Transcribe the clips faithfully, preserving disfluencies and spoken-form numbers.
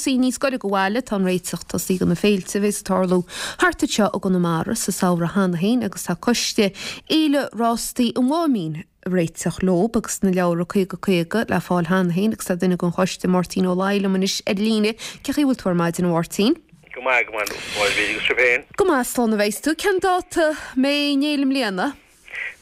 cúrsaí níos gaire do bhaile, tá an réiteach tosaithe do na féilte a bheas ag tarlú thart anseo i gConamara sa samhradh cheana féin agus tá coiste Fhéile Rástaí an Mháimín ag réiteach leo agus na leabhra caoga caoga le fáil cheana féin agus tá duine den choiste, Máirtín Ó Laoi, liom anois ar líne. Cén chaoi a bhfuil tú ar maidin, a Mháirtín? Go maith, go maith, a Mháire, agus sibh féin? Go maith, slán a bheas tú. Cén dáta a mbeidh an fhéile i mbliana?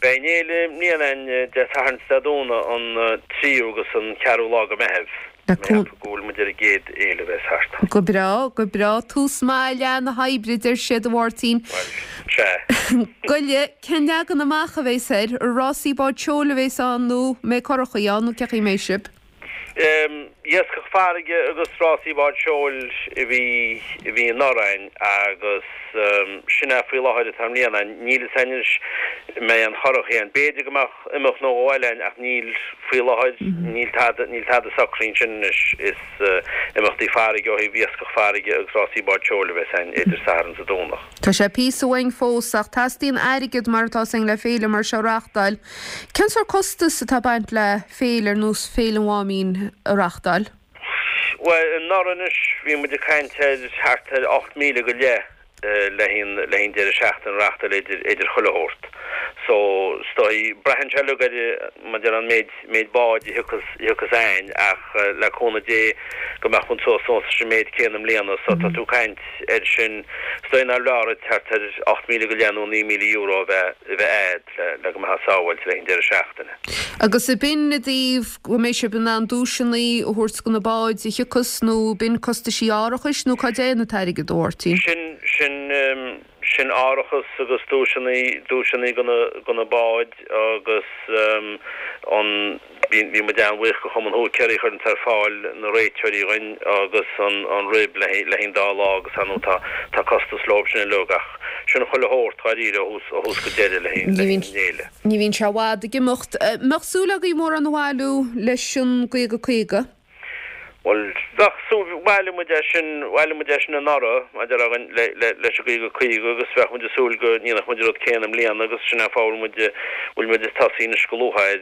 Beidh an fhéile i mbliana ann Dé Sathairn is Dé Domhnaigh an tríú agus an ceathrú lá de Mheitheamh. Mé ag ceapadh go bhfuil muid ar an gcéad fhéile a bheas thart. Go breá, go breá. Tús maith i leath na hoibre, a deir siad, a Mháirtín. Bhuel, sea. Goile, cén leagan amach a bheas air? Rásaí báid seoil a bheas ann nó an mbeidh curachaí ann nó cén chaoi a mbeidh sibh? Iascach farraige agus rásaí báid seoil a bhí a bhí anuraidh a'inn agus sin é faoi láthair atá i mbliana a'inn. Níl fhios a'inn anois an mbeidh aon churachaí a'inn. B'fhéidir go mbeadh imeacht nó dhó eile a'inn ach níl faoi láthair, níl tada, níl tada socraithe ansin anois. Is imeachtaí farraige ó thaobh iascach farraige agus rásaí báid seoil a bheas a'inn idir Satharn is an Domhnach. Tá sé píosa uainn fós ach teastaíonn airgead mar atá 'fhios a'inn le féile mar seo a reáchtáil. Cén sórt costas atá ag baint le féile ar nós Féile an Mháimín a reáchtáil? Bhuel, anuraidh anois bhí muid ag caint ar thart ar ocht míle go leith le haghaidh le haghaidh an deireadh seachtaine a reáchtáil idir idir chuile shórt. So, is dóigh, braitheann sé uilig ar mar a déarfá an méid méid báid a thiocfas a thiocfas a'inn ach le cúnamh Dé go mbeadh muid suas suas leis an méid céanna i mbliana so tá tú ag caint air sin, is dóigh nár leor duit thart ar ocht míle go leith nó naoi míle euro a bheith a bheith a'd. le go mbeifeá sábháilte le haghaidh an deireadh seachtaine. Agus ab in i dtaobh go mbeidh sibh in ann duaiseanna a thabhairt do na báid a thiocfas nó b'in costaisí árachais nó cá dtéann an t-airgead, a Mháirtín? Sin, sin, sin árachas agus duaiseanna, duaiseanna do na, do na báid agus an, Bhí muid an-bhuíoch do Chumann Húicéirí a chuireanns ar fáil na réiteoirí dhuinn agus an rib le haghaidh an dá lá agus ar ndóigh tá tá costas leob sin uilig ach sin chuile shórt dháiríre ó thús ó thús go deireadh le haghaidh an fhéile. Ní bhíonn sé i bhfad ag imeacht. Mbeadh súil agaibh mórán a bhailiú leis an gcaoga caoga? Bhuel, bheadh súil, bhailigh muid é sin, bhailigh muid é sin anuraidh, maidir againn le, le, leis an gcaoga caoga agus bheadh muid ag súil go ndéanfadh muid an rud céanna i mbliana agus sin é an fáth a bhfuil muid, bhfuil muid ag tosaí anois go luath air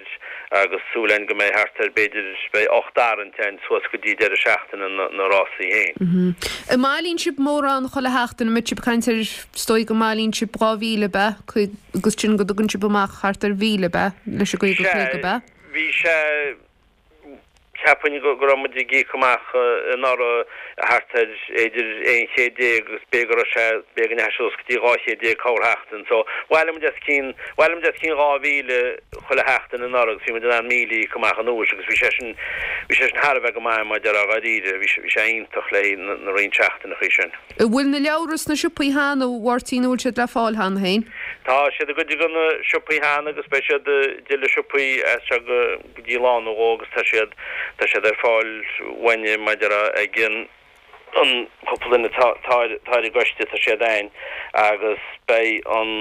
agus súil againn go mbeidh thart ar, b'fhéidir, beidh ocht dtarraingt againn suas go dtí deireadh seachtaine na, na rásaí féin. An mbailíonn sibh mórán chuile sheachtain, an mbeidh sibh ag caint ar, is dóigh go mbailíonn sibh dhá mhíle, ab ea, agus sin go dtugann sibh amach thart ar mhíle, ab ea, leis an gcaoga Sea, caoga, ab ea? bhí sé. Cheapfainn go raibh muid ag íoc amach anuraidh thart ar idir aon chéad déag agus b'fhéidir go raibh sé, b'fhéidir go ndeachaigh sé suas go dtí dhá chéad déag corrsheachtain. So, bhailigh muid os cionn, bhailigh muid os cionn dhá mhíle chuile sheachtain anuraidh agus bhí muid in ann míle a íoc amach anuas agus bhí sé sin, bhí sé sin thar a bheith go maith mar a déarfá dháiríre, bhí sé, bhí sé iontach le haghaidh na, na roinnt seachtaineachaí sin. An bhfuil na leabhra sna siopaí cheana, a Mháirtín, an bhfuil siad le fáil cheana féin? Tá siad i gcuid de na siopaí cheana agus beidh siad i dtuilleadh siopaí as seo go, go dtí lá nó dhó agus tá siad tá siad ar fáil uainne mar a déarfá ag an an cúpla duine atá atá ar atá ar an gcoiste tá siad a'inn agus beidh an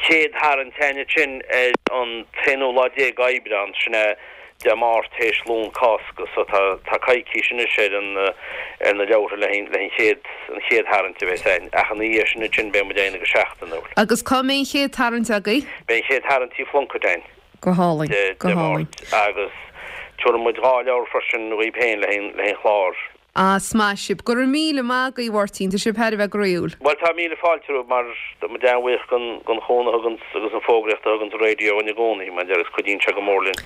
chéad tharraingt a'inn ansin ar an t-aonú lá déag Aibreán sin é Dé Máirt théis Luan Cásca so tá tá coicís anois ar an ar na leabhartha le haghaidh le haghaidh an chéad an chéad tharraingt a bheas a'inn ach ina dhiaidh sin ansin beidh muid á dhéanamh go seachtainiúil. Agus cá mbeidh an chéad tarraingt agaibh? Beidh an chéad tharraingt Tigh Phlunkett a'inn. Go hálainn, Dé go hálainn. Máirt agus tabharfaidh muid dhá leabhar freisin dhaoib féin le haghaidh an chláir. Ah, is maith sibh. Go raibh míle maith agaibh, a Mháirtín, tá sibh thar a bheith groíúil. Bhuel, tá míle fáilte romhaibh mar tá muid an-bhuíoch den den chúnamh a thuganns agus an fógraíocht a thuganns an raidió dhúinn i gcónaí, mar agus cuidíonn sé go mór linn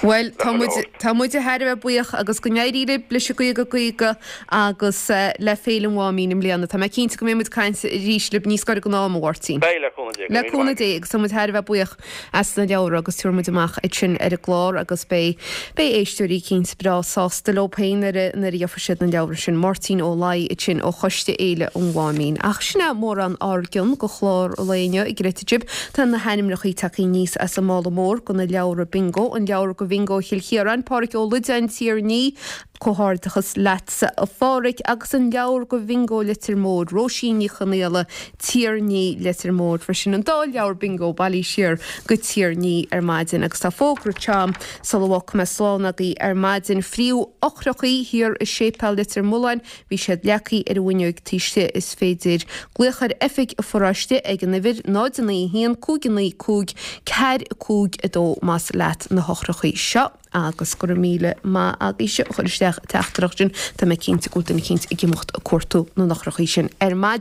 Bhuel, le tá chuile muid, shórt. tá muid thar a bheith buíoch agus go n-éirí libh leis an gcaoga caoga agus le Féile an Mháimín i mbliana. Tá mé cinnte go mbeidh muid ag caint arís libh níos gaire don am, a Mháirtín. Beidh, le cúnamh Dé. Go Le raibh míle cúnamh maith Dé agat. agus tá muid thar a bheith buíoch. as na leabhra agus tabharfaidh muid amach iad sin ar an gclár agus beidh beidh éisteoirí eicínt breá sásta leo féin nuair a nuair a gheobhaidh siad na leabhra sin. Máirtín Ó Laoi ansin ó Choiste Fhéile an Mháimín. Ach sin é mórán ár gcion go chlár an lae inniu ag rite sibh. Tá na hainmneachaí tagtha aníos as an mála mór go na leabhra bingo, an leabhar go Bhingo Chill Chiaráin, Páraic Ó Loideáin, Tír an Fhí, Comhghairdeachas leatsa a Pháraic agus an leabhar go Bhingo Leitir Móir, Róisín Ní Chonaola, Tír an Fhí, Leitir Móir freisin. An dá leabhar bingo bailithe siar go Tír an Fhí ar maidin agus tá fógra trom sula bhfágfaidh mé slán agaibh ar maidin. Fríothadh eochrachaí thiar i Séipéal Leitir Mealláin, bhí siad leagtha ar an bhfuinneoig taobh istigh. Is féidir glaoch ar oifig an pharóiste ag an uimhir náid a naoi a haon cúig a naoi cúig ceathair cúig a dó más leat na heochrachaí seo. Agus go raibh míle maith agaibhse a chuir isteach an teachtaireacht sin. Tá mé cinnte go bhfuil duine eicínt ag imeacht ag cuartú na n-eochrachaí sin ar maidin.